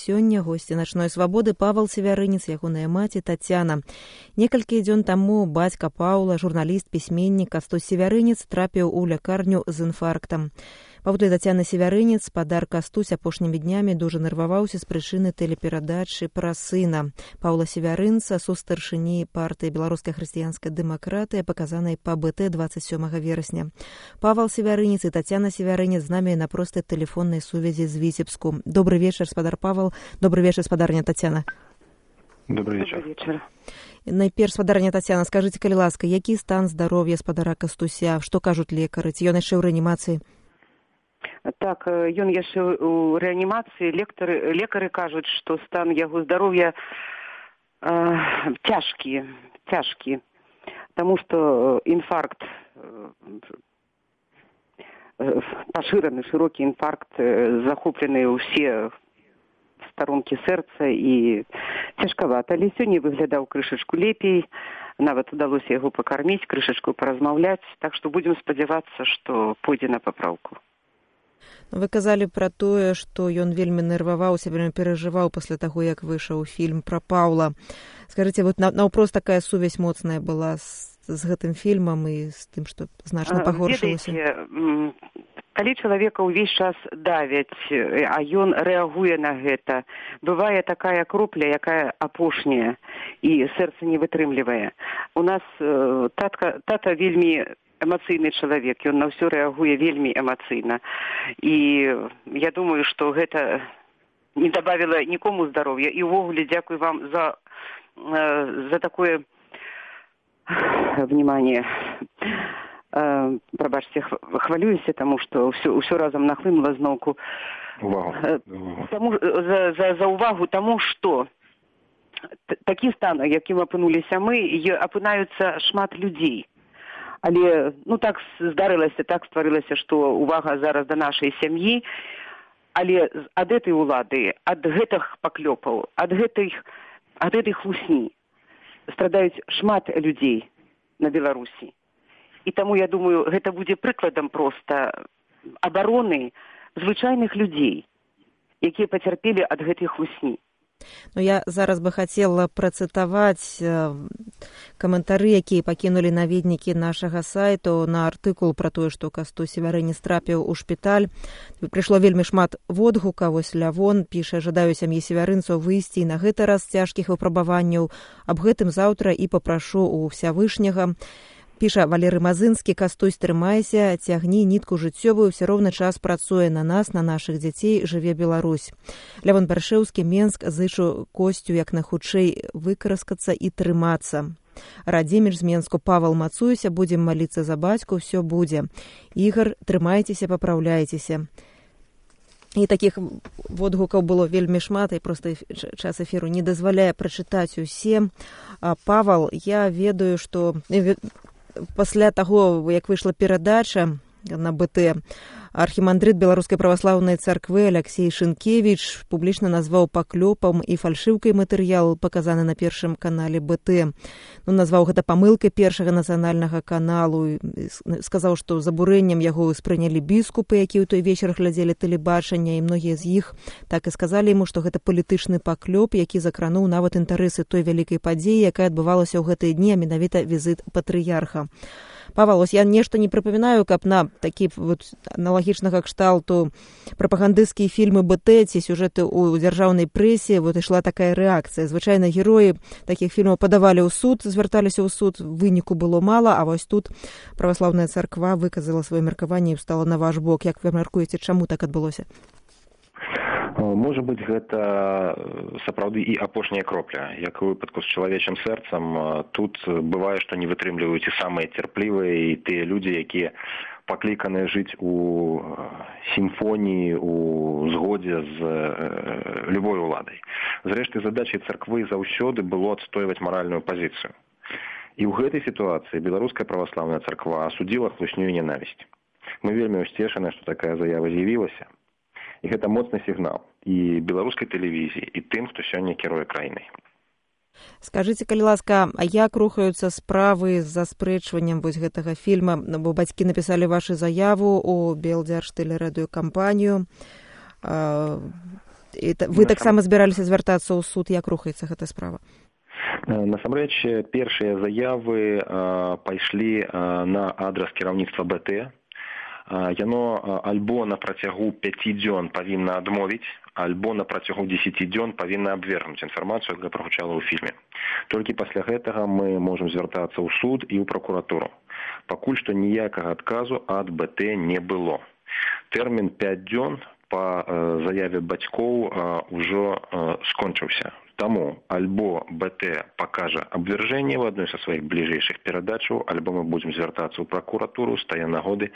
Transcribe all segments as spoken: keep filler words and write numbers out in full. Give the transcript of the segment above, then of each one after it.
сёння госці начной свабоды Павал Севярынец, ягоная маці Тацяна. Некалькі дзён таму бацька Паўла, журналіст, пісьменнік Кастусь Севярынец трапіў у лякарню з інфарктам. Паводле Тацяны Севярынец, спадар Кастусь апошнімі днямі дужа нерваваўся з прычыны тэлеперадачы пра сына Паўла Севярынца, сустаршыні партыі Беларускай хрысціянскай дэмакратыі, паказанай па бэ тэ дваццаць сёмага верасня. Павал Севярынец і Тацяна Севярынец з намі на простай тэлефоннай сувязі з Віцебску. Добрый вечар, спадар Павал. Добрый вечар, спадарня Тацяна. Добрый вечар. Добрый вечар. Найперш, спадарня Тацяна, скажыце, калі ласка, які стан здароўя спадара Кастуся? Што кажуць лекары? Ці ён яшчэ ў рэанімацыі? Так, ён яшчэ ў рэанімацыі. Лекары, лекары кажуць, што стан яго здароўя э, цяжкі, цяжкі, таму што інфаркт, э, пашыраны шырокі інфаркт, э, захоплены ўсе старонкі сэрца і цяжкавата. Але сёння выглядаў крышачку лепей, нават удалося яго пакарміць, крышачку паразмаўляць, так што будзем спадзявацца, што пойдзе на папраўку. Вы казалі пра тое, што ён вельмі нерваваўся, вельмі перажываў пасля таго, як выйшаў фільм пра Паўла. Скажыце, вот наўпрост такая сувязь моцная была з, з гэтым фільмам і з тым, што значна пагоршылася? Ведаеце, калі чалавека ўвесь час давяць, а ён рэагуе на гэта, бывае такая кропля, якая апошняя, і сэрца не вытрымлівае. У нас э, татка, тата вельмі эмацыйны чалавек, ён на ўсё рэагуе вельмі эмацыйна. І я думаю, што гэта не дабавіла нікому здароўя. І ўвогуле дзякуй вам за, за такое внимание. Прабачце, хвалююся, таму што ўсё, ўсё разам нахлынула зноўку. Увагу. Таму, за, за, за увагу таму, што такі стан, якім апынуліся мы, апынаюцца шмат людзей. Але, ну, так здарылася, так стварылася, што увага зараз да нашай сям'і, але ад гэтай улады, ад гэтых паклёпаў, ад гэтых, ад гэтай хлусні страдаюць шмат людзей на Беларусі. І таму, я думаю, гэта будзе прыкладам проста абароны звычайных людзей, якія пацярпелі ад гэтай хлусні. Ну, я зараз бы хацела працытаваць э, каментары, якія пакінулі наведнікі нашага сайту на артыкул пра тое, што Кастусь Севярынец трапіў у шпіталь. Прыйшло вельмі шмат водгука. Вось Лявон піша: жадаю сям'і Севярынцаў выйсці на гэты раз цяжкіх выпрабаванняў. Аб гэтым заўтра і папрашу у Всявышняга. Піша Валерый Мазынскі: Кастусь, трымайся, цягні нітку жыццёвую, ўсё роўны час працуе на нас, на нашых дзяцей, жыве Беларусь. Лявон Баршэўскі, Менск, зычу Косцю як найхутчэй выкараскацца і трымацца. Радзіміч з Менску: Павал, мацуйся, будзем маліцца за бацьку, ўсё будзе. Ігар, трымайцеся, папраўляйцеся. І такіх водгукаў было вельмі шмат, і проста час эфіру не дазваляе прачытаць усе. А, Павал, я ведаю, што пасля таго, як выйшла перадача на бэ тэ, архімандрыт Беларускай праваслаўнай царквы Аляксей Шынкевіч публічна назваў паклёпам і фальшыўкай матэрыял, паказаны на першым канале бэ тэ. Ну, назваў гэта памылкай першага нацыянальнага каналу. Сказаў, што забурэннем яго спрынялі біскупы, якія ў той вечар глядзелі тэлебачанне, і многія з іх так і сказалі яму, што гэта палітычны паклёп, які закрануў нават інтарэсы той вялікай падзеі, якая адбывалася ў гэтыя дні, а менавіта візіт патрыярха. Павал, ось я нешта не прыпамінаю, каб на такі вот аналагічнага кшталту прапагандысцкія фільмы бэ тэ ці сюжэты ў дзяржаўнай прэсе вот ішла такая рэакцыя. Звычайна героі такіх фільмаў падавалі ў суд, звярталіся ў суд, выніку было мала, а вось тут праваслаўная царква выказала сваё меркаванне і стала на ваш бок. Як вы мяркуеце, чаму так адбылося? Можа быць, гэта сапраўды і апошняя кропля. Як у выпадку з чалавечым сэрцам, тут бывае, што не вытрымліваюць і самыя цярплівыя, і тыя людзі, якія пакліканыя жыць у сімфоніі, у згодзе з любой уладай. Зрэшты, задачай царквы заўсёды было адстойваць маральную пазіцыю. І ў гэтай сітуацыі беларуская праваслаўная царква асудзіла хлусню і ненавісць. Мы вельмі ўсцешаны, што такая заява з'явілася. І гэта моцны сігнал і беларускай тэлевізіі, і тым, хто сёння кіруе краінай. Скажыце, калі ласка, а як рухаюцца справы з заспрэчваннем вось гэтага фільма? Бо бацькі напісалі вашу заяву у Белдзяржтэлерадыёкампанію. Вы таксама збіраліся звяртацца ў суд, як рухаецца гэта справа? Насамрэч, першыя заявы пайшлі на адрас кіраўніцтва БТ. Яно альбо на працягу пяці дзён павінна адмовіць, альбо на працягу дзесяці дзён павінна абвергнуць інфармацыю, якая прагучала ў фільме. Толькі пасля гэтага мы можам звяртацца ў суд і ў пракуратуру. Пакуль што ніякага адказу ад БТ не было. Тэрмін пяць дзён па заяве бацькоў ужо скончыўся. Таму альбо БТ пакажа абвяржэнне ў адной са сваіх бліжэйшых перадачаў, альбо мы будзем звяртацца ў пракуратуру, стае нагоды,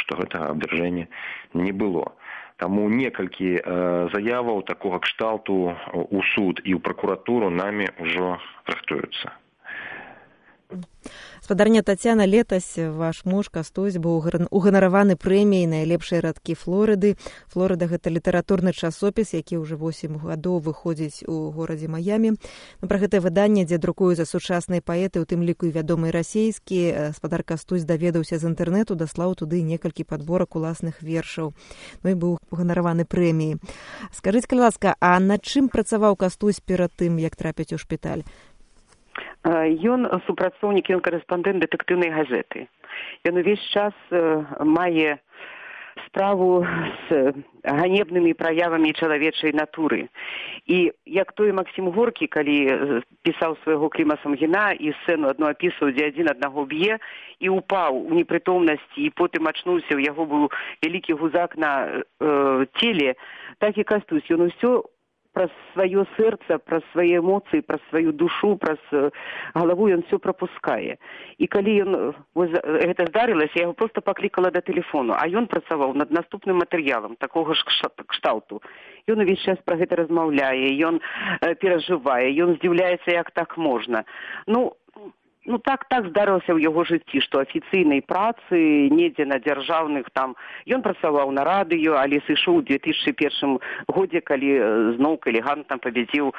што гэтага абвяржэння не было. Таму некалькі заяваў такога кшталту ў суд і ў пракуратуру намі ўжо рыхтуюцца. Спадарня Тацяна, летась ваш муж Кастусь быў уганараваны прэміяй найлепшай радкі Флорыды. Флорыда — гэта літаратурны часопіс, які ўжо восем гадоў выходзіць у горадзе Маямі. Ну, пра гэтае выданне, дзе друкуюцца сучасныя паэты, у тым ліку і вядомыя расійскія, спадар Кастусь даведаўся з інтэрнэту, даслаў туды некалькі падборак уласных вершаў. Ну і быў уганараваны прэміяй. Скажыце, калі ласка, а над чым працаваў Кастусь перад тым, як трапіць у шпіталь? Ён супрацоўнік, ён карэспандэнт дэтэктыўнай газеты. Ён увесь час мае справу з ганебнымі праявамі чалавечай натуры. І як той Максім Горкі, калі пісаў свайго Кліма Самгіна і сцэну адну апісваў, дзе адзін аднаго б'е, і упаў у непрытомнасці, і потым ачнуўся, у яго быў вялікі гузак на э, целе, так і Кастусь. Ён усё праз сваё сэрца, праз свае эмоцыі, праз сваю душу, праз галаву ён все прапускае. І калі ён вось, гэта здарылася, я яго проста паклікала да тэлефону, а ён працаваў над наступным матэрыялам такога ж кшталту. Ён увесь час пра гэта размаўляе, ён э, перажывае, ён здзіўляецца, як так можна. Ну, Ну, так, так здарылася ў яго жыцці, што афіцыйнай працы, недзе на дзяржаўных там, ён працаваў на радыё, але сышоў у две тысячы першым годзе, калі зноў элегантна пабедзіў э,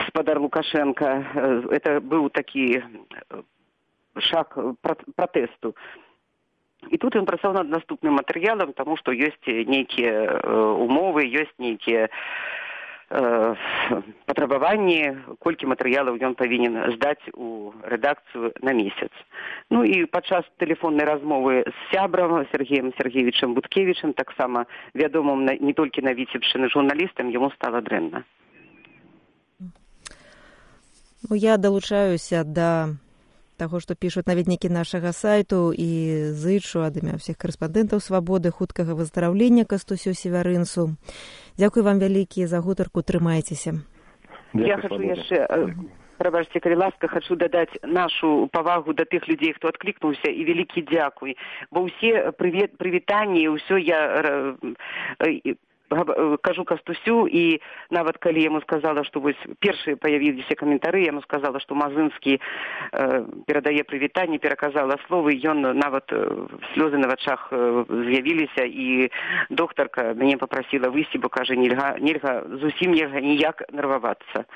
спадар Лукашенка. Это быў такі шаг пратэсту. І тут ён працаваў над наступным матэрыялам, таму што ёсць нейкія э, умовы, ёсць нейкія патрабаванні, колькі матэрыялаў ён павінен здаць у рэдакцыю на месяц. Ну і падчас тэлефоннай размовы з сябрам Сергеем Сергеевичам Буткевічам, таксама вядомым не толькі на Віцебшчыны журналістам, яму стала дрэнна. Ну, я далучаюся да таго, што пішуць наведнікі нашага сайту, і зычу ад імя ўсіх карэспандэнтаў «Свабоды» хуткага выздараўлення Кастусю Севярынцу. Дзякуй вам вялікі за гутарку, трымайцеся. Я хочу яшчэ, прабачце, калі ласка, хочу дадаць нашу павагу да тых людзей, хто адклікнуўся, і вялікі дзякуй, бо ўсе прывітанні, ўсё я кажу Кастусю, і нават калі яму сказала, што вось першыя паявіліся каментары, яму сказала, што Мазынскі э, перадае прывітанне, пераказала словы, ён нават э, слёзы на вачах э, з'явіліся, і доктарка мяне папрасіла выйсці, бо кажа, нельга, нельга зусім нельга ніяк нервавацца.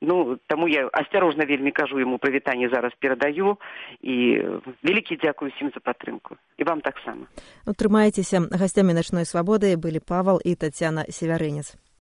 Ну, таму я асцярожна вельмі кажу яму прывітанне, зараз перадаю, і вялікі дзякуй усім за падтрымку. І вам таксама. Ну, трымайцеся. Гасцямі «Начной свабоды» былі Павал і Тацяна Севярынец.